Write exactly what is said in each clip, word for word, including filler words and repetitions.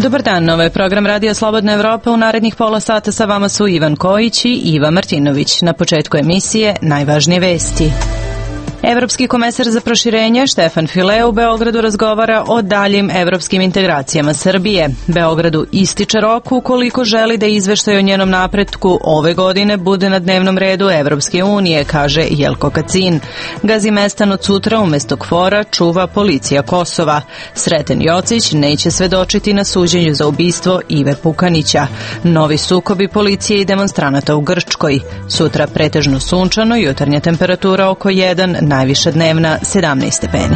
Dobar dan, ovo je program Radija Slobodna Evropa. U narednih pola sata sa vama su Ivan Kojić i Iva Martinović. Na početku emisije najvažnije vesti. Evropski komesar za proširenje Štefan File u Beogradu razgovara o daljim evropskim integracijama Srbije. Beogradu ističe rok ukoliko želi da izveštaj o njenom napretku ove godine bude na dnevnom redu Evropske unije, kaže Jelko Kacin. Gazimestan od sutra umesto KFOR-a čuva policija Kosova. Sreten Jocić neće svedočiti na suđenju za ubistvo Ive Pukanića. Novi sukobi policije i demonstranata u Grčkoj. Sutra pretežno sunčano, jutarnja temperatura oko jedan, najviša dnevna sedamnaest stepeni.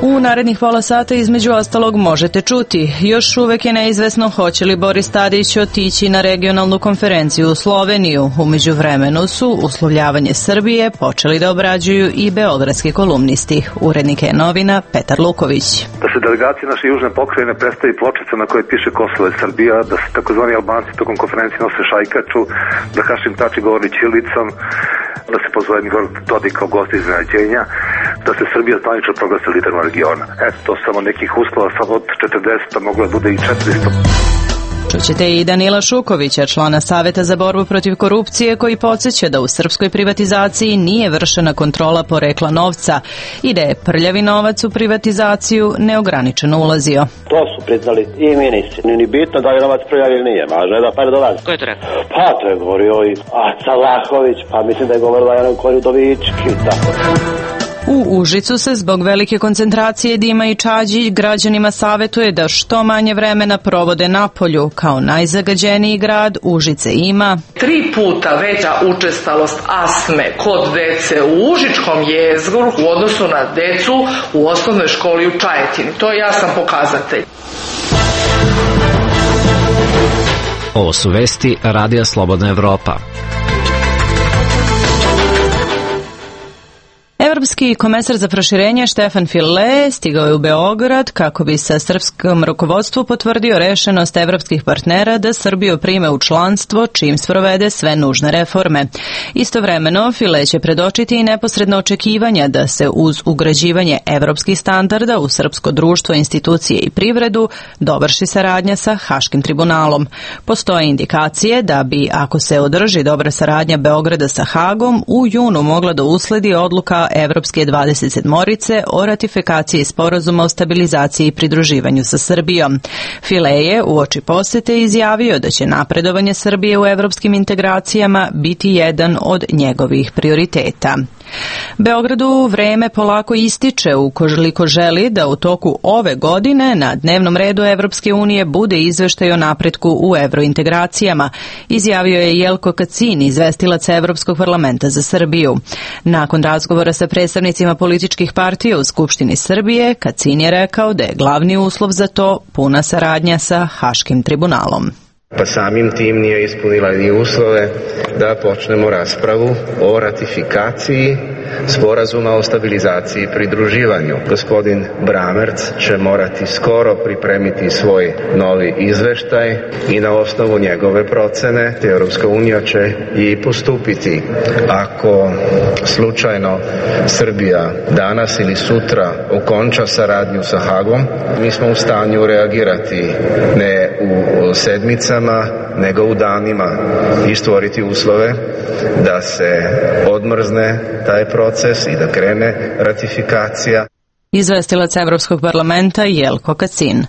U narednih pola sata između ostalog možete čuti. Još uvek je neizvesno hoće li Boris Tadić otići na regionalnu konferenciju u Sloveniju. U međuvremenu su uslovljavanje Srbije počeli da obrađuju i beogradski kolumnisti. Urednik je novina Petar Luković. Da se delegacije naše južne pokrajine predstavi pločica na kojoj piše Kosovo je Srbija, da se takozvani Albanci tokom konferencije nose šajkaču, da Hašim Tači govori ćirilicom, da se pozove Igor Dodik kao gost iznenađenja, da se Srbija zvanično proglasi liderom regiona. Eto, to samo nekih uslova, samo od četrdeset moglo da bude i četiristo. Čućete i Danila Šukovića, člana Saveta za borbu protiv korupcije, koji podsjeća da u srpskoj privatizaciji nije vršena kontrola porekla novca i da je prljavi novac u privatizaciju neograničeno ulazio. To su priznali i ministri. Nije ni bitno da li novac prljavi ili nije, važno je da pare dolazi. Ko je to rekao? Pa to je govorio i Aca Vlahović, pa mislim da je govorila Jana Koridovički, tako. U Užicu se zbog velike koncentracije dima i čađi građanima savetuje da što manje vremena provode napolju. Kao najzagađeniji grad Užice ima tri puta veća učestalost astme kod dece u Užičkom jezgru u odnosu na decu u osnovnoj školi u Čajetini. To je jasan pokazatelj. Ovo su vesti Radija Slobodna Evropa. Evropski komesar za proširenje Štefan File stigao je u Beograd kako bi sa srpskom rukovodstvu potvrdio rešenost evropskih partnera da Srbiju prime u članstvo čim sprovede sve nužne reforme. Istovremeno, File će predočiti i neposredno očekivanja da se uz ugrađivanje evropskih standarda u srpsko društvo, institucije i privredu dovrši saradnja sa Haškim tribunalom. Postoje indikacije da bi, ako se održi dobra saradnja Beograda sa Hagom, u junu mogla da usledi odluka Evropske dvadeset sedmorice o ratifikaciji sporazuma o stabilizaciji i pridruživanju sa Srbijom. File je uoči posete izjavio da će napredovanje Srbije u evropskim integracijama biti jedan od njegovih prioriteta. Beogradu vreme polako ističe ukoliko želi da u toku ove godine na dnevnom redu Evropske unije bude izveštaj o napretku u evrointegracijama, izjavio je Jelko Kacin, izvestilac Evropskog parlamenta za Srbiju. Nakon razgovora sa predstavnicima političkih partija u Skupštini Srbije, Kacin je rekao da je glavni uslov za to puna saradnja sa Haškim tribunalom. Pa samim tim nije ispunila ni uslove da počnemo raspravu o ratifikaciji sporazuma o stabilizaciji i pridruživanju. Gospodin Bramerc će morati skoro pripremiti svoj novi izveštaj i na osnovu njegove procene Evropska unija će i postupiti. Ako slučajno Srbija danas ili sutra okonča saradnju sa Hagom, mi smo u stanju reagirati ne u sedmicama, nego u danima i stvoriti uslove da se odmrzne taj proces i da krene ratifikacija. Izvestilac Evropskog parlamenta Jelko Kacin.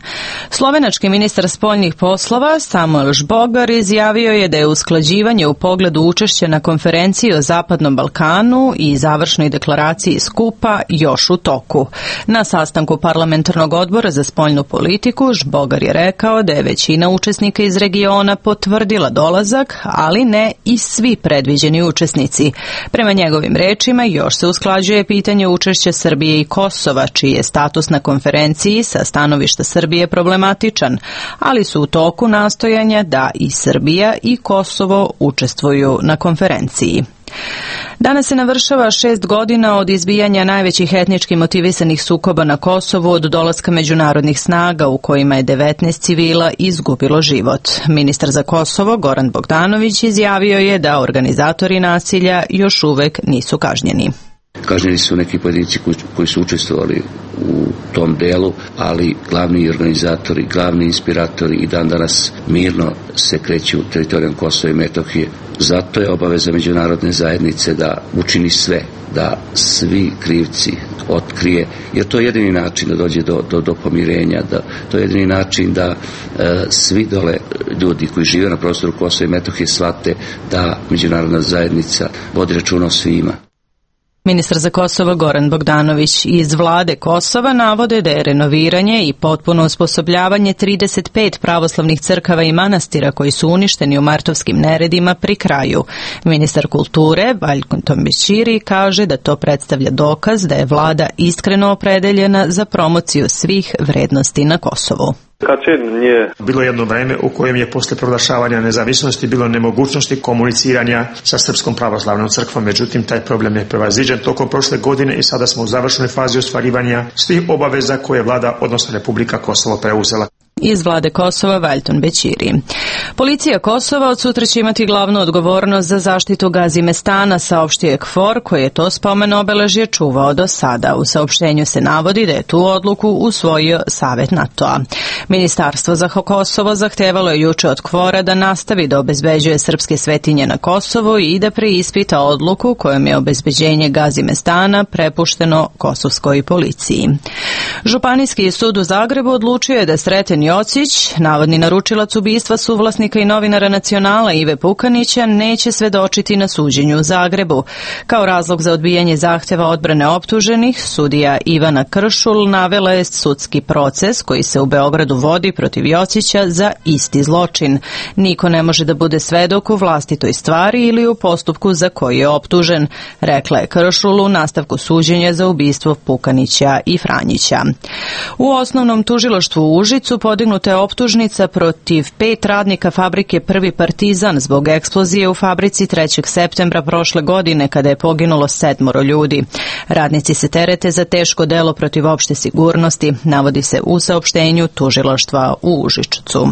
Slovenački ministar spoljnih poslova Samuel Žbogar izjavio je da je usklađivanje u pogledu učešća na konferenciji o Zapadnom Balkanu i završnoj deklaraciji skupa još u toku. Na sastanku parlamentarnog odbora za spoljnu politiku Žbogar je rekao da je većina učesnika iz regiona potvrdila dolazak, ali ne i svi predviđeni učesnici. Prema njegovim rečima još se usklađuje pitanje učešća Srbije i Kosova, čiji je status na konferenciji sa stanovišta Srbije problematičan, ali su u toku nastojanja da i Srbija i Kosovo učestvuju na konferenciji. Danas se navršava šest godina od izbijanja najvećih etnički motivisanih sukoba na Kosovu od dolaska međunarodnih snaga u kojima je devetnaest civila izgubilo život. Ministar za Kosovo Goran Bogdanović izjavio je da organizatori nasilja još uvek nisu kažnjeni. Kažnjeni su neki pojedinci koji, koji su učestvovali u tom delu, ali glavni organizatori, glavni inspiratori i dan danas mirno se kreću teritorijom Kosova i Metohije. Zato je obaveza međunarodne zajednice da učini sve, da svi krivci otkrije, jer to je jedini način da dođe do, do, do pomirenja, da, to je jedini način da e, svi dole ljudi koji žive na prostoru Kosova i Metohije shvate da međunarodna zajednica vodi računa o svima. Ministar za Kosovo Goran Bogdanović iz vlade Kosova navode da je renoviranje i potpuno osposobljavanje trideset pet pravoslavnih crkava i manastira koji su uništeni u martovskim neredima pri kraju. Ministar kulture Valjko Tombećiri kaže da to predstavlja dokaz da je vlada iskreno opredeljena za promociju svih vrednosti na Kosovu. Bilo je jedno vreme u kojem je posle proglašavanja nezavisnosti bilo nemogućnosti komuniciranja sa Srpskom pravoslavnom crkvom, međutim taj problem je prevaziđen tokom prošle godine i sada smo u završnoj fazi ostvarivanja svih obaveza koje je vlada, odnosno Republika Kosovo, preuzela. Iz vlade Kosova Valjton Bećiri. Policija Kosova od sutra će imati glavnu odgovornost za zaštitu Gazimestana, saopštio je KFOR, koji je to spomen obeležje čuvao do sada. U saopštenju se navodi da je tu odluku usvojio Savet NATO-a. Ministarstvo za Kosovo zahtevalo je juče od KFOR-a da nastavi da obezbeđuje srpske svetinje na Kosovu i da preispita odluku kojom je obezbeđenje Gazimestana prepušteno kosovskoj policiji. Županijski sud u Zagrebu odlučio je da Sreten Jocić, navodni naručilac ubistva suvlasnika i novinara Nacionala Ive Pukanića, neće svedočiti na suđenju u Zagrebu. Kao razlog za odbijanje zahteva odbrane optuženih, sudija Ivana Kršul navela je sudski proces koji se u Beogradu vodi protiv Jocića za isti zločin. Niko ne može da bude svedok u vlastitoj stvari ili u postupku za koji je optužen, rekla je Kršul u nastavku suđenja za ubistvo Pukanića i Franjića. U osnovnom tužilaštvu u Užicu podignuta je optužnica protiv pet radnika fabrike Prvi Partizan zbog eksplozije u fabrici trećeg septembra prošle godine kada je poginulo sedmoro ljudi. Radnici se terete za teško delo protiv opšte sigurnosti, navodi se u saopštenju tužilaštva u Užičcu.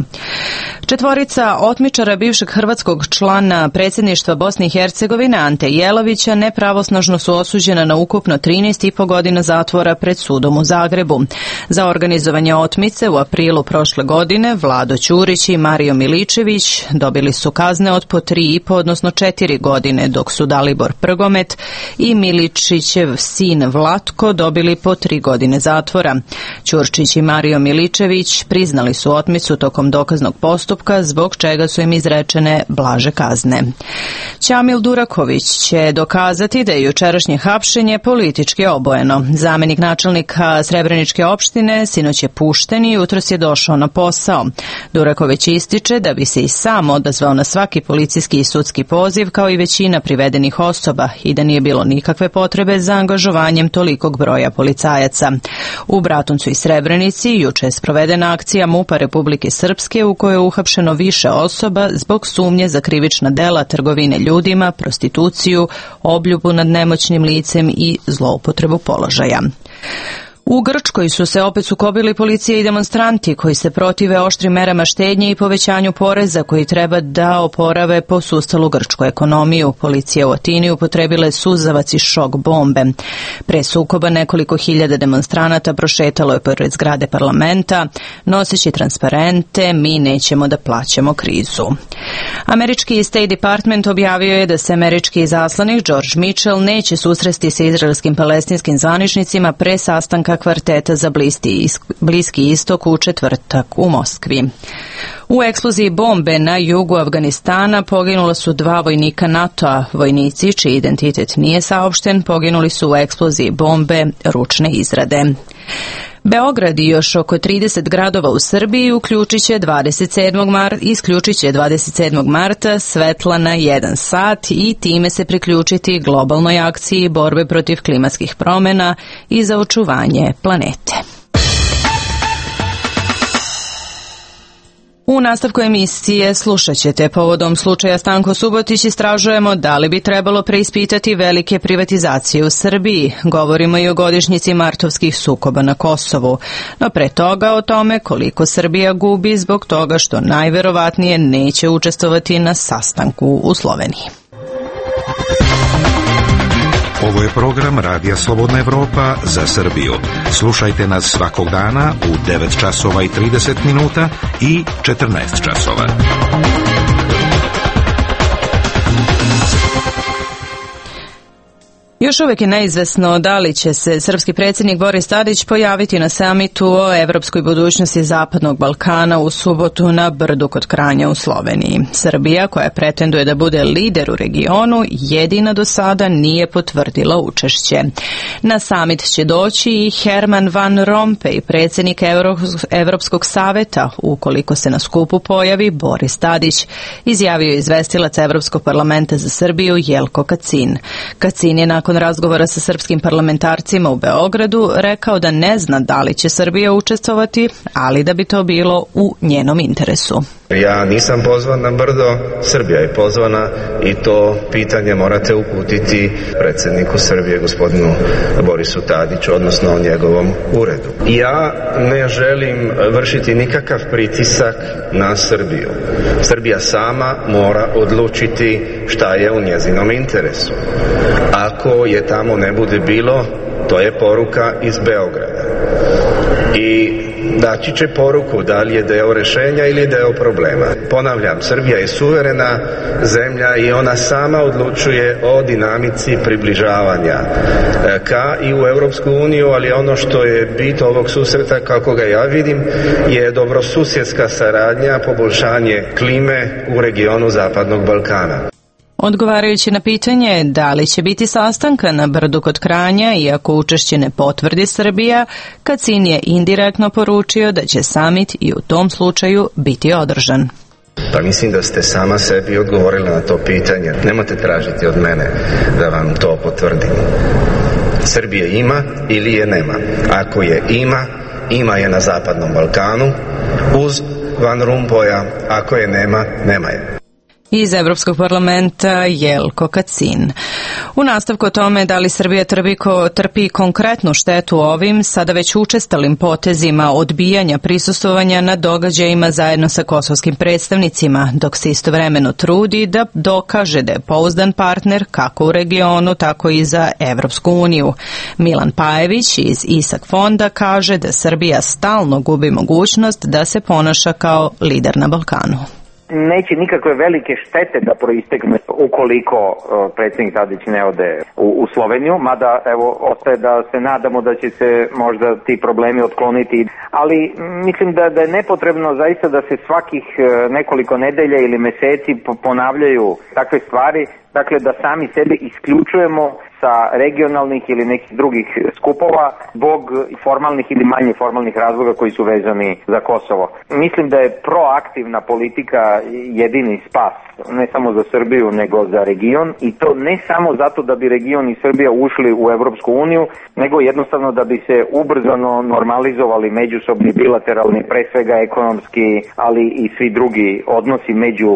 Četvorica otmičara bivšeg hrvatskog člana predsjedništva Bosne i Hercegovine Ante Jelavića nepravosnažno su osuđena na ukupno trinaest i po godina zatvora pred sudom u Zagrebu. Za organizovanje otmice u aprilu prošle godine Vlado Ćurić i Mario Miličević dobili su kazne od po tri i po, odnosno četiri godine, dok su Dalibor Prgomet i Miličićev sin Vlatko dobili po tri godine zatvora. Ćurčić i Mario Miličević priznali su otmicu tokom dokaznog postupka, zbog čega su im izrečene blaže kazne. Ćamil Duraković će dokazati da je jučerašnje hapšenje politički obojeno. Zamenik načelnika Srebreničke opštine sinoć je pušten i jutros je došao na posao. Duraković ističe da bi se i sam odazvao na svaki policijski i sudski poziv kao i većina privedenih osoba i da nije bilo nikakve potrebe za angažovanjem tolikog broja policajaca. U Bratuncu i Srebrenici juče je sprovedena akcija MUP-a Republike Srpske u kojoj je uhapšeno više osoba zbog sumnje za krivična dela trgovine ljudima, prostituciju, obljubu nad nemoćnim licem i zloupotrebu položaja. U Grčkoj su se opet sukobili policija i demonstranti koji se protive oštrim merama štednje i povećanju poreza koji treba da oporave posustalu grčku ekonomiju. Policija u Atini upotrebila je suzavac i šok bombe. Pre sukoba nekoliko hiljada demonstranata prošetalo je pored zgrade parlamenta, noseći transparente "Mi nećemo da plaćamo krizu". Američki State Department objavio je da se američki izaslanik George Mitchell neće susresti sa izraelskim palestinskim zvaničnicima pre sastanka kvarteta za Bliski istok u četvrtak u Moskvi. U eksploziji bombe na jugu Afganistana poginula su dva vojnika NATO-a. Vojnici, čiji identitet nije saopšten, poginuli su u eksploziji bombe ručne izrade. Beograd i još oko trideset gradova u Srbiji uključit će dvadeset sedmog marta, isključit će dvadeset sedmog marta svetla na jedan sat i time se priključiti globalnoj akciji borbe protiv klimatskih promjena i za očuvanje planete. U nastavku emisije slušat ćete: povodom slučaja Stanko Subotić istražujemo da li bi trebalo preispitati velike privatizacije u Srbiji. Govorimo i o godišnjici martovskih sukoba na Kosovu. No pre toga o tome koliko Srbija gubi zbog toga što najverovatnije neće učestvovati na sastanku u Sloveniji. Ovo je program Radija Slobodna Evropa za Srbiju. Slušajte nas svakog dana u devet časova i trideset minuta i četrnaest časova. Još uvijek je neizvesno da li će se srpski predsjednik Boris Tadić pojaviti na samitu o evropskoj budućnosti Zapadnog Balkana u subotu na Brdu kod Kranja u Sloveniji. Srbija, koja pretenduje da bude lider u regionu, jedina do sada nije potvrdila učešće. Na samit će doći i Herman Van Rompuy, predsjednik Evropskog saveta, ukoliko se na skupu pojavi Boris Tadić, izjavio je izvestilac Evropskog parlamenta za Srbiju Jelko Kacin. Kacin je nakon razgovora sa srpskim parlamentarcima u Beogradu rekao da ne zna da li će Srbija učestvovati, ali da bi to bilo u njenom interesu. Ja nisam pozvan na Brdo, Srbija je pozvana i to pitanje morate uputiti predsjedniku Srbije, gospodinu Borisu Tadiću, odnosno njegovom uredu. Ja ne želim vršiti nikakav pritisak na Srbiju. Srbija sama mora odlučiti šta je u njezinom interesu. Ako je tamo ne bude bilo, to je poruka iz Beograda. I daći će poruku da li je deo rešenja ili deo problema. Ponavljam, Srbija je suverena zemlja i ona sama odlučuje o dinamici približavanja ka i u Europsku uniju, ali ono što je bit ovog susreta, kako ga ja vidim, je dobrosusjedska saradnja, poboljšanje klime u regionu Zapadnog Balkana. Odgovarajući na pitanje da li će biti sastanka na Brdu kod Kranja, iako učešće ne potvrdi Srbija, Kacin je indirektno poručio da će samit i u tom slučaju biti održan. Pa mislim da ste sama sebi odgovorili na to pitanje. Nemojte tražiti od mene da vam to potvrdim. Srbije ima ili je nema. Ako je ima, ima je na Zapadnom Balkanu uz Van Rompuya. Ako je nema, nema je. Iz Evropskog parlamenta Jelko Kacin. U nastavku o tome da li Srbija trpi, trpi konkretnu štetu ovim, sada već učestalim potezima odbijanja prisustvovanja na događajima zajedno sa kosovskim predstavnicima, dok se istovremeno trudi da dokaže da je pouzdan partner kako u regionu, tako i za Evropsku uniju. Milan Pajević iz Isak fonda kaže da Srbija stalno gubi mogućnost da se ponaša kao lider na Balkanu. Neće nikakve velike štete da proistekne ukoliko uh, predsjednik Tadić ne ode u, u Sloveniju, mada evo ostaje da se nadamo da će se možda ti problemi otkloniti, ali mislim da, da je nepotrebno zaista da se svakih uh, nekoliko nedelja ili meseci ponavljaju takve stvari, dakle da sami sebe isključujemo sa regionalnih ili nekih drugih skupova zbog formalnih ili manje formalnih razloga koji su vezani za Kosovo. Mislim da je proaktivna politika jedini spas, ne samo za Srbiju nego za region, i to ne samo zato da bi region i Srbija ušli u Evropsku uniju, nego jednostavno da bi se ubrzano normalizovali međusobni bilateralni, pre svega ekonomski, ali i svi drugi odnosi među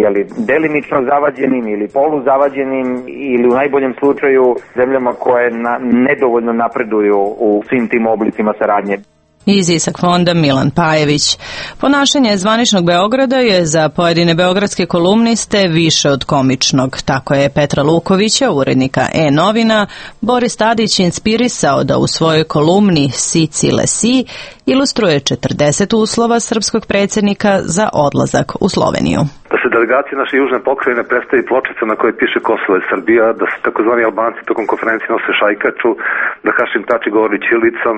jeli, delimično zavađenim ili poluzavađenim ili u najboljem slučaju zemljama koje na, nedovoljno napreduju u svim tim oblicima saradnje. Iz Isak fonda Milan Pajević. Ponašanje zvaničnog Beograda je za pojedine beogradske kolumniste više od komičnog. Tako je Petra Lukovića, urednika E-novina, Boris Tadić inspirisao da u svojoj kolumni Sici Lesi ilustruje četrdeset uslova srpskog predsjednika za odlazak u Sloveniju. Da se delegacija naše južne pokrajine predstavi pločica na kojoj piše Kosovo je Srbija, da se takozvani Albanci tokom konferencije nose šajkaču, da Hašim Tači govori ćirilicom,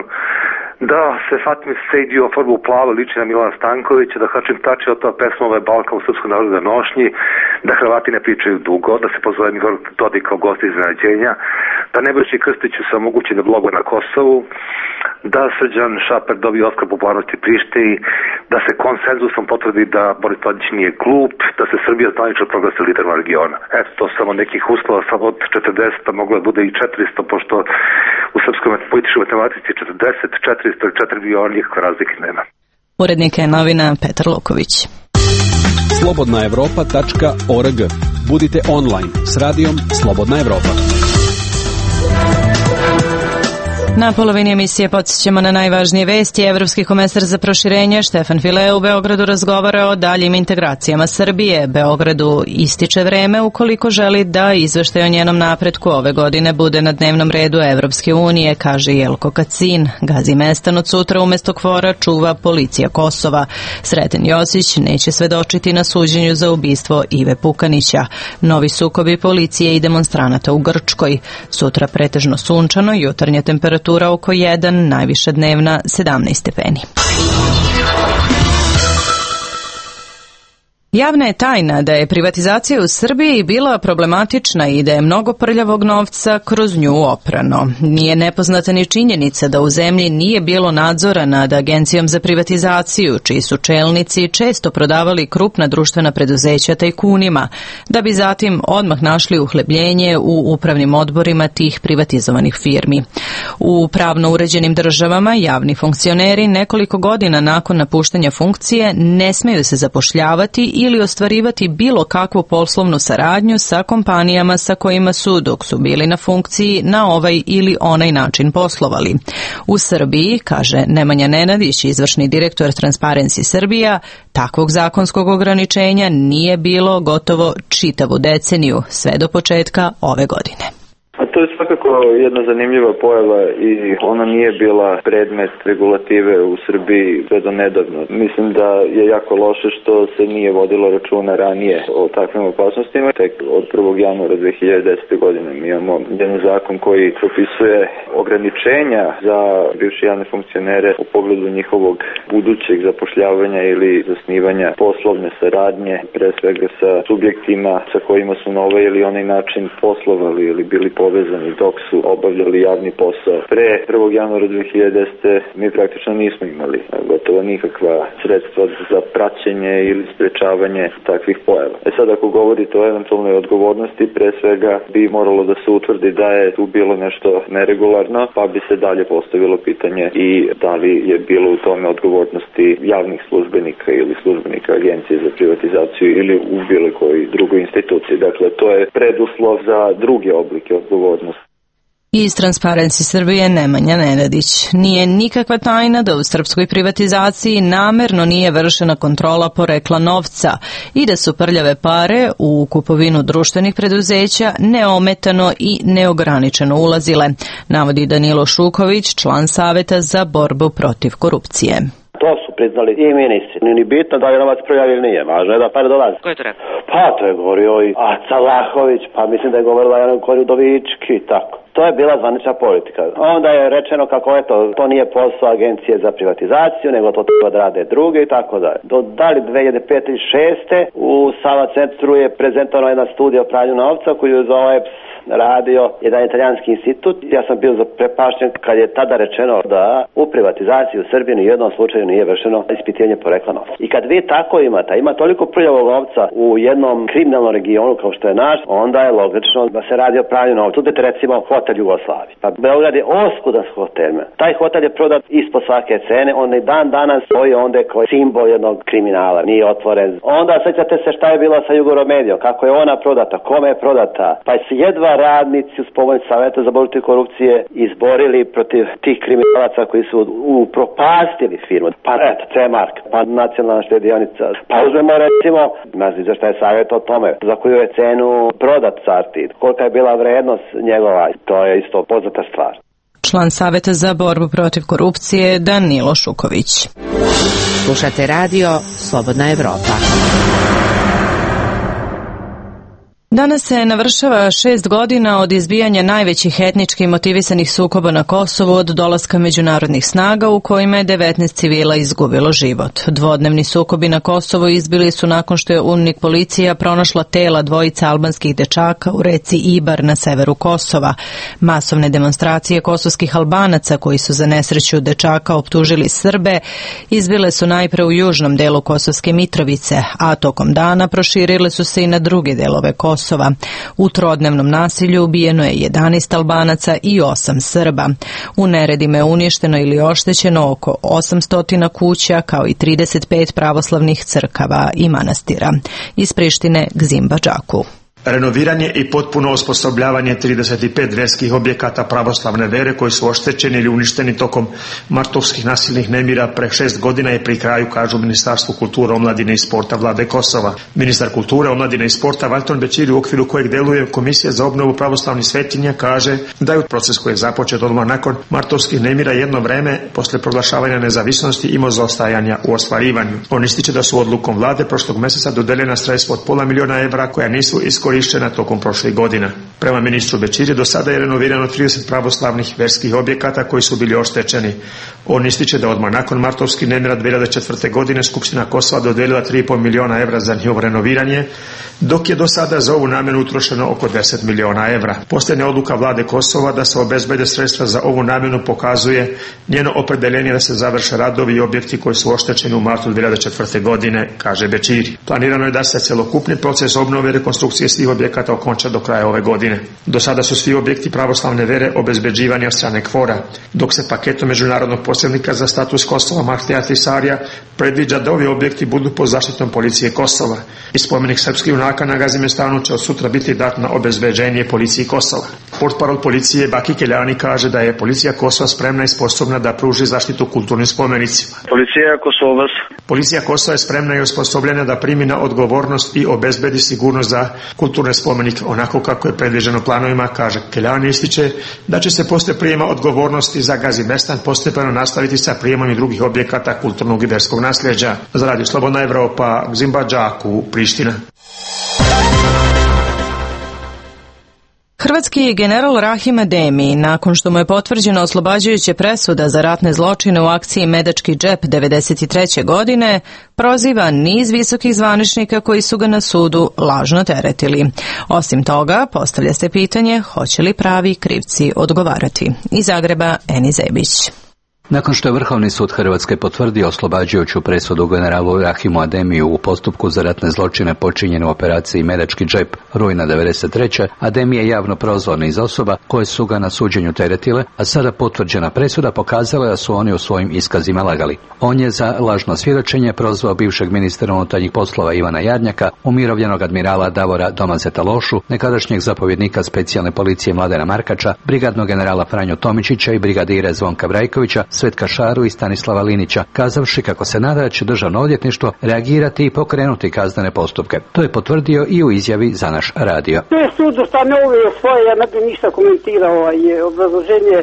da se Fatimi Sejdi oforma u plavo liči na Milana Stankovića, da Hašim Tači otova pesmove Balkan u srpskoj narodnoj nošnji, da Hrvati ne pričaju dugo, da se pozove Igor Dodik kao gost iznenađenja, da Nebojši Krstiću se omogući da bloguje na Kosovu, da Srđan Šaper dobije Oskar popularnosti Prištini, da se konsenzusom potvrdi da Boris Tadić nije glup, da se Srbija zvanično proglasi liderom regiona. Eto, to samo nekih uslova, samo od četrdeset, moglo je bude i četiristo, pošto u srpskoj političkoj matematici četrdeset, četiristo ili četiri miliona nikakve razlike nema. Urednik je novina Petar Luković. slobodna evropa tačka org. Budite online s radijom Slobodna Evropa. Na polovini emisije podsjećamo na najvažnije vesti. Evropski komesar za proširenje Štefan File u Beogradu razgovara o daljim integracijama Srbije. Beogradu ističe vreme ukoliko želi da izveštaj o njenom napretku ove godine bude na dnevnom redu Evropske unije, kaže Jelko Kacin. Gazi Mestan od sutra umesto KFOR-a čuva policija Kosova. Sreten Josić neće svedočiti na suđenju za ubistvo Ive Pukanića. Novi sukobi policije i demonstranata u Grčkoj. Sutra pretežno sunčano, jutarnja temperatura oko jedan, najviša dnevna sedamnaest stepeni. Javna je tajna da je privatizacija u Srbiji bila problematična i da je mnogo prljavog novca kroz nju oprano. Nije nepoznata ni činjenica da u zemlji nije bilo nadzora nad Agencijom za privatizaciju, čiji su čelnici često prodavali krupna društvena preduzeća tajkunima, da bi zatim odmah našli uhlebljenje u upravnim odborima tih privatizovanih firmi. U pravno uređenim državama javni funkcioneri nekoliko godina nakon napuštanja funkcije ne smeju se zapošljavati ili ostvarivati bilo kakvu poslovnu saradnju sa kompanijama sa kojima su, dok su bili na funkciji, na ovaj ili onaj način poslovali. U Srbiji, kaže Nemanja Nenadić, izvršni direktor Transparency Srbija, takvog zakonskog ograničenja nije bilo gotovo čitavu deceniju, sve do početka ove godine. A to je svakako jedna zanimljiva pojava i ona nije bila predmet regulative u Srbiji sve do nedavno. Mislim da je jako loše što se nije vodilo računa ranije o takvim opasnostima. Tek od prvog januara dve hiljade desete. godine mi imamo jedan zakon koji propisuje ograničenja za bivše javne funkcionere u pogledu njihovog budućeg zapošljavanja ili zasnivanja poslovne saradnje, pre svega sa subjektima sa kojima su na ovaj ili onaj način poslovali ili bili povezani dok su obavljali javni posao. Pre prvog januara dve hiljade desete. mi praktično nismo imali gotovo nikakva sredstva za praćenje ili sprečavanje takvih pojava. E sad, ako govorite o eventualnoj odgovornosti, pre svega bi moralo da se utvrdi da je tu bilo nešto neregularno, pa bi se dalje postavilo pitanje i da li je bilo u tome odgovornosti javnih službenika ili službenika Agencije za privatizaciju ili u bilo koji drugoj instituciji. Dakle, to je preduslov za druge oblike odgovornosti. Iz Transparency Srbije Nemanja Nenadić. Nije nikakva tajna da u srpskoj privatizaciji namerno nije vršena kontrola porekla novca i da su prljave pare u kupovinu društvenih preduzeća neometano i neograničeno ulazile, navodi Danilo Šuković, član Saveta za borbu protiv korupcije. To su priznali i ministri. Nije ni bitno da je novac prljav ili nije. Važno je da pare dolaze. Ko je to rekao? Pa to je govorio i Aca Lahović, pa mislim da je govorila Jana Koridovički i tako. To je bila zvanična politika. Onda je rečeno kako eto, to nije posao Agencije za privatizaciju, nego to treba da rade druge i tako dalje. Do dali dve hiljade pete i šeste. u Sava centru je prezentovana jedna studija o pranju novca koju je za O E P S radio jedan italijanski institut. Ja sam bio zaprepašten kad je tada rečeno da u privatizaciji u Srbiji ni jednom slučaju nije vršeno ispitivanje porekla novca. I kad vi tako imate, ima toliko prljavog novca u jednom kriminalnom regionu kao što je naš, onda je logično da se radi o pranju novca. Uzmite recimo hotel Jugoslavije. Pa Beograd je oskudan hotel. Taj hotel je prodat ispod svake cene, on i dan danas stoji onda kao simbol jednog kriminala, nije otvoren. Onda sećate se šta je bilo sa Jugoromedijom, kako je ona prodata, kome je prodata, pa je jedva radnici uz pomoć Saveta za borbu protiv korupcije izborili protiv tih kriminalaca koji su upropastili firmu. Pa eto, C-Mark, pa Nacionalna štedionica. Pa uzmemo recimo, ne znam zašto je savjet o tome, za koju je cenu prodat Sartid, kolika je bila vrednost njegova, to je isto poznata stvar. Član Saveta za borbu protiv korupcije Danilo Šuković. Slušate radio Slobodna Evropa. Danas se navršava šest godina od izbijanja najvećih etnički motivisanih sukoba na Kosovu od dolaska međunarodnih snaga u kojima je devetnaest civila izgubilo život. Dvodnevni sukobi na Kosovu izbili su nakon što je UNMIK policija pronašla tela dvojice albanskih dečaka u reci Ibar na severu Kosova. Masovne demonstracije kosovskih Albanaca koji su za nesreću dečaka optužili Srbe izbile su najpre u južnom delu Kosovske Mitrovice, a tokom dana proširile su se i na druge delove Kosova. U trodnevnom nasilju ubijeno je jedanaest Albanaca i osam Srba. U neredima je uništeno ili oštećeno oko osamsto kuća kao i trideset pet pravoslavnih crkava i manastira. Iz Prištine Gzim Badžaku. Renoviranje i potpuno osposobljavanje trideset pet verskih objekata pravoslavne vere koji su oštećeni ili uništeni tokom martovskih nasilnih nemira pre šest godina je pri kraju, kažu Ministarstvu kulture, omladine i sporta Vlade Kosova. Ministar kulture, omladine i sporta Valton Bećiri, u okviru kojeg deluje Komisija za obnovu pravoslavnih svetinja, kaže da je proces koji je započet odmah nakon martovskih nemira jedno vreme posle proglašavanja nezavisnosti imao zaostajanja u ostvarivanju. On ističe da su odlukom Vlade prošlog meseca dodeljena sredstva od pola miliona evra koja nisu iskorištena tokom prošlih godina. Prema ministru Bećiri, do sada je renovirano trideset pravoslavnih verskih objekata koji su bili oštećeni. On ističe da odmah nakon martovskih nemira dve hiljade četvrte. godine Skupština Kosova dodelila tri i po miliona evra za njihovo renoviranje, dok je do sada za ovu namenu utrošeno oko deset miliona evra. Posljednja odluka Vlade Kosova da se obezbede sredstva za ovu namenu pokazuje njeno opredeljenje da se završe radovi i objekti koji su oštećeni u martu dve hiljade četvrte. godine, kaže Bećiri. Planirano je da se celokupni proces obnove i rekonstrukcije svih objekata okonča do kraja ove godine. Do sada su svi objekti pravoslavne vere obezbeđivani od strane KFOR-a, dok se paketom međunarodnog posrednika za status Kosova Mahtija Tisarija predviđa da ovi objekti budu pod zaštitom policije Kosova. I spomenik srpskih junaka na Gazimestanu će od sutra biti dat na obezbeđenje policiji Kosova. Portparol policije Baki Keljani kaže da je policija Kosova spremna i sposobna da pruži zaštitu kulturnim spomenicima. Policija Kosova Policija Kosova je spremna i osposobljena da primi na odgovornost i obezbedi sigurnost za kulturne spomenike onako kako je predviđeno planovima, kaže Keljani. Ističe da će se posle prijema odgovornosti za Gazimestan postepeno nastaviti sa prijemom i drugih objekata kulturnog i verskog nasljeđa. Za Radio Slobodna Evropa, Zimbadžaku, Priština. Hrvatski general Rahim Ademi, nakon što mu je potvrđena oslobađajuća presuda za ratne zločine u akciji Medački džep devedeset treće. godine, proziva niz visokih zvaničnika koji su ga na sudu lažno teretili. Osim toga, postavlja se pitanje hoće li pravi krivci odgovarati. Iz Zagreba, Eni Zebić. Nakon što je Vrhovni sud Hrvatske potvrdio oslobađajuću presudu generalu Rahimu Ademiju u postupku za ratne zločine počinjene u operaciji Medački džep rujna devedeset treće. Ademi je javno prozvao niz osoba koje su ga na suđenju teretile, a sada potvrđena presuda pokazala da su oni u svojim iskazima lagali. On je za lažno svjedočenje prozvao bivšeg ministra unutarnjih poslova Ivana Jarnjaka, umirovljenog admirala Davora Domazeta Lošu, nekadašnjeg zapovjednika specijalne policije Mladena Markača, brigadnog generala Franju Tomičića i brigadire Zvonka Brajkovića, Svetka Šaru i Stanislava Linića, kazavši kako se nada da će Državno odvjetništvo reagirati i pokrenuti kaznene postupke. To je potvrdio i u izjavi za naš radio. To je sud ustanovio svoje, ja ne bi ništa komentirao ovaj obrazloženje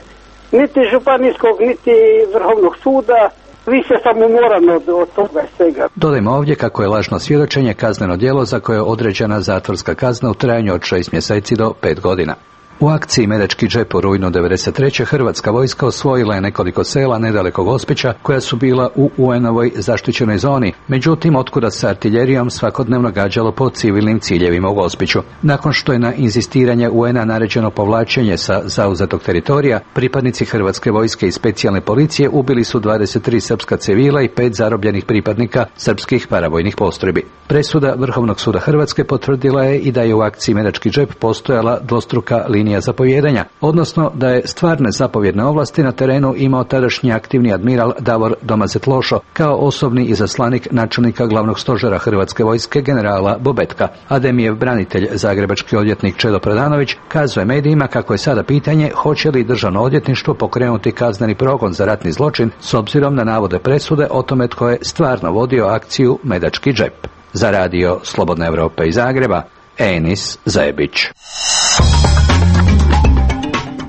niti županijskog, niti Vrhovnog suda. Više sam umoran od, od toga svega. Dodajmo ovdje kako je lažno svjedočenje kazneno djelo za koje je određena zatvorska kazna u trajanju od šest mjeseci do pet godina. U akciji Medački džep u rujnu devedeset treće. Hrvatska vojska osvojila je nekoliko sela nedaleko Gospića koja su bila u U N-ovoj zaštićenoj zoni, međutim otkuda se artiljerijom svakodnevno gađalo po civilnim ciljevima u Gospiću. Nakon što je na inzistiranje U N-a naređeno povlačenje sa zauzetog teritorija, pripadnici Hrvatske vojske i specijalne policije ubili su dvadeset tri srpska civila i pet zarobljenih pripadnika srpskih paravojnih postrojbi. Presuda Vrhovnog suda Hrvatske potvrdila je i da je u akciji Medački džep postojala dvostruka linija zapovijedanja, odnosno da je stvarne zapovjedne ovlasti na terenu imao tadašnji aktivni admiral Davor Domazet Lošo kao osobni izaslanik načelnika glavnog stožera Hrvatske vojske generala Bobetka. Ademijev branitelj, zagrebački odvjetnik Čedo Predanović, kazuje medijima kako je sada pitanje hoće li Državno odvjetništvo pokrenuti kazneni progon za ratni zločin s obzirom na navode presude o tome tko je stvarno vodio akciju Medački džep. Za Radio Slobodna Evropa iz Zagreba, Enis Zebić.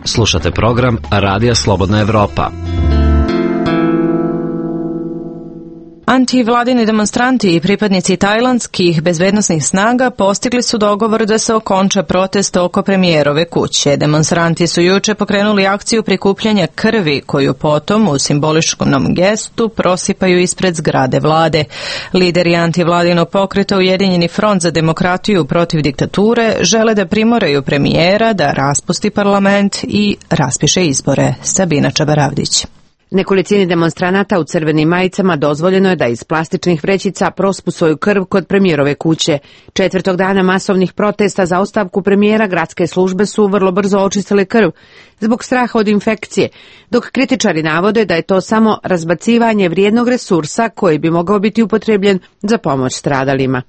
Slušate program Radija Slobodna Evropa. Antivladini demonstranti i pripadnici tajlandskih bezbednosnih snaga postigli su dogovor da se okonča protest oko premijerove kuće. Demonstranti su juče pokrenuli akciju prikupljanja krvi koju potom u simboličnom gestu prosipaju ispred zgrade vlade. Lideri antivladinog pokreta Ujedinjeni front za demokratiju protiv diktature žele da primoraju premijera da raspusti parlament i raspiše izbore. Sabina Čabaravdić. Nekolicini demonstranata u crvenim majicama dozvoljeno je da iz plastičnih vrećica prospu svoju krv kod premijerove kuće. Četvrtog dana masovnih protesta za ostavku premijera gradske službe su vrlo brzo očistile krv zbog straha od infekcije, dok kritičari navode da je to samo razbacivanje vrijednog resursa koji bi mogao biti upotrebljen za pomoć stradalima.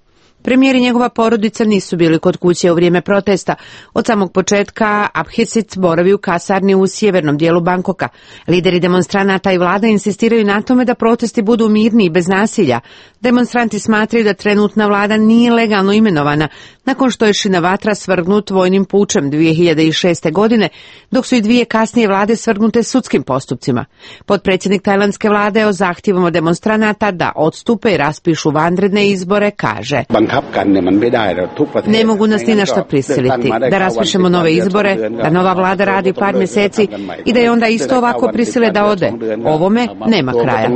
Premijer i njegova porodica nisu bili kod kuće u vrijeme protesta. Od samog početka Abhisit boravi u kasarni u sjevernom dijelu Bangkoka. Lideri demonstranata i vlada insistiraju na tome da protesti budu mirni i bez nasilja. Demonstranti smatraju da trenutna vlada nije legalno imenovana nakon što je Shinawatra svrgnut vojnim pučem dvije hiljade šeste. godine, dok su i dvije kasnije vlade svrgnute sudskim postupcima. Potpredsjednik tajlandske vlade o zahtjevima demonstranata da odstupe i raspišu vanredne izbore kaže: Ne mogu nas ni na što prisiliti, da raspišemo nove izbore, da nova vlada radi par mjeseci i da je onda isto ovako prisile da ode. Ovome nema kraja.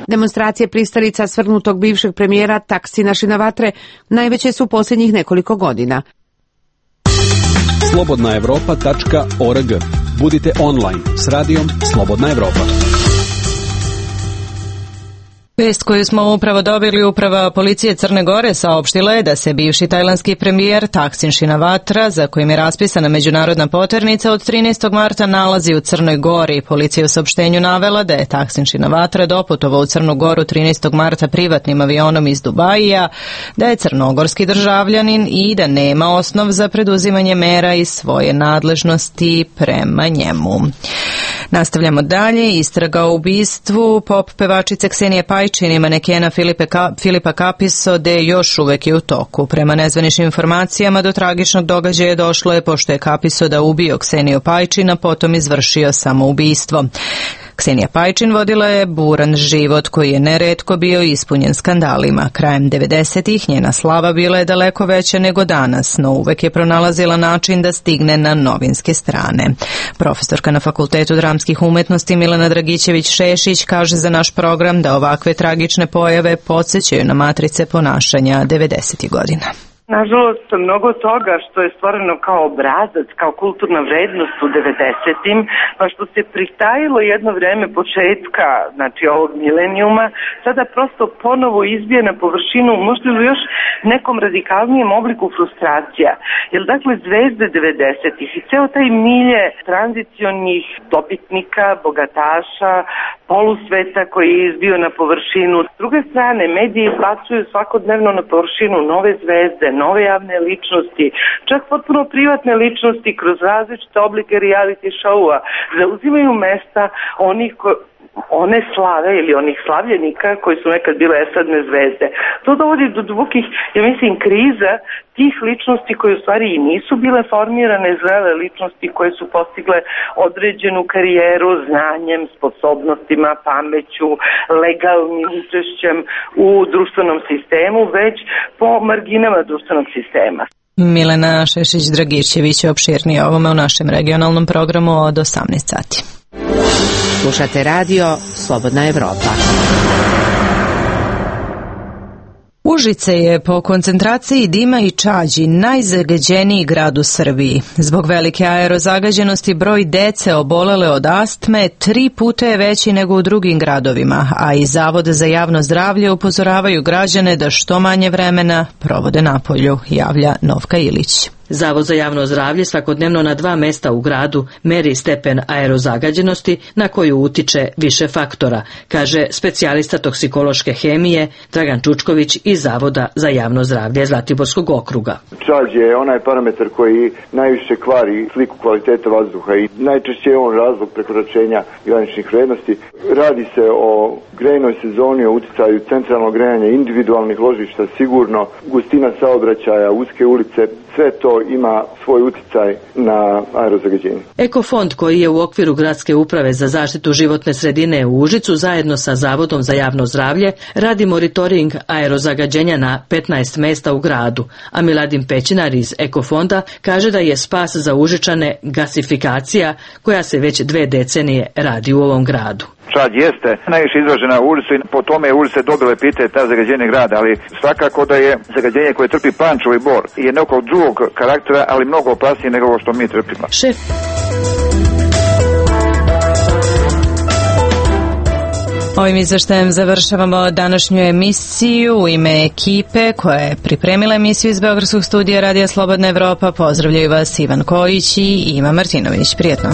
Demonstracije pristalica svrgnutog bivšeg premijera Taksina Shinawatre najveće su posljednjih nekoliko godina. slobodna evropa tačka org. Budite online s radijom Slobodna Evropa. Vest koju smo upravo dobili, uprava policije Crne Gore saopštila je da se bivši tajlandski premijer Taksin Shinawatra, za kojim je raspisana međunarodna poternica, od trinaestog marta nalazi u Crnoj Gori. Policija u saopštenju navela da je Taksin Shinawatra doputovao u Crnu Goru trinaestog marta privatnim avionom iz Dubaija, da je crnogorski državljanin i da nema osnov za preduzimanje mera iz svoje nadležnosti prema njemu. Nastavljamo dalje. Istraga o ubistvu pop pevačice Ksenije Pajčin i manekena Filipe Ka, Filipa Kapisode još uvek je u toku. Prema nezvaničnim informacijama do tragičnog događaja došlo je pošto je Kapisoda ubio Kseniju Pajčin, a potom izvršio samoubistvo. Ksenija Pajčin vodila je buran život koji je neretko bio ispunjen skandalima. Krajem devedesetih njena slava bila je daleko veća nego danas, no uvek je pronalazila način da stigne na novinske strane. Profesorka na Fakultetu dramskih umetnosti Milena Dragićević-Šešić kaže za naš program da ovakve tragične pojave podsjećaju na matrice ponašanja devedesetih godina. Nažalost, mnogo toga što je stvoreno kao obrazac, kao kulturna vrednost u devedesetim, pa što se pritajilo jedno vreme početka, znači ovog milenijuma, sada prosto ponovo izbije na površinu, možda u još nekom radikalnijem obliku frustracija. Jer dakle, zvezde devedesetih i ceo taj milje tranzicionih dobitnika, bogataša, polusveta koji je izbio na površinu. S druge strane, mediji izbacuju svakodnevno na površinu nove zvezde, nove javne ličnosti, čak potpuno privatne ličnosti kroz različite oblike reality showa, zauzimaju mesta onih ko, one slave ili onih slavljenika koji su nekad bile estradne zvezde. To dovodi do dvukih, ja mislim, kriza tih ličnosti koje u stvari i nisu bile formirane, zrele ličnosti koje su postigle određenu karijeru znanjem, sposobnostima, pameću, legalnim učešćem u društvenom sistemu, već po marginama društvenog sistema. Milena Šešić-Dragićević je opširnije ovome u našem regionalnom programu od osamnaest sati. Slušate radio Slobodna Evropa. Užice je po koncentraciji dima i čađi najzagađeniji grad u Srbiji. Zbog velike aerozagađenosti broj dece obolele od astme tri puta je veći nego u drugim gradovima, a i Zavod za javno zdravlje upozoravaju građane da što manje vremena provode napolju, javlja Novka Ilić. Zavod za javno zdravlje svakodnevno na dva mesta u gradu meri stepen aerozagađenosti na koju utiče više faktora, kaže specijalista toksikološke hemije Dragan Čučković iz Zavoda za javno zdravlje Zlatiborskog okruga. Čađ je onaj parametar koji najviše kvari sliku kvalitete vazduha i najčešće je on razlog prekoračenja graničnih vrednosti. Radi se o grejnoj sezoni, o uticaju centralnog grejanja, individualnih ložišta, sigurno gustina saobraćaja, uske ulice, sve to ima svoj uticaj na aerozagađenje. Ekofond, koji je u okviru Gradske uprave za zaštitu životne sredine u Užicu zajedno sa Zavodom za javno zdravlje radi monitoring aerozagađenja na petnaest mesta u gradu, a Miladin Pećinar iz Ekofonda kaže da je spas za Užičane gasifikacija koja se već dve decenije radi u ovom gradu. Čađ jeste najviše izražena u ulici, po tome je ulice dobile epite ta zagađenje grada, ali svakako da je zagađenje koje trpi Pančevo i Bor je nekog drugog karaktera, ali mnogo opasnije nego ovo što mi trpimo. Šef Ovim izveštajem završavamo današnju emisiju. U ime ekipe koja je pripremila emisiju iz Beogradskog studija Radija Slobodna Evropa pozdravljaju vas Ivan Kojić i Ima Martinović. Prijetno.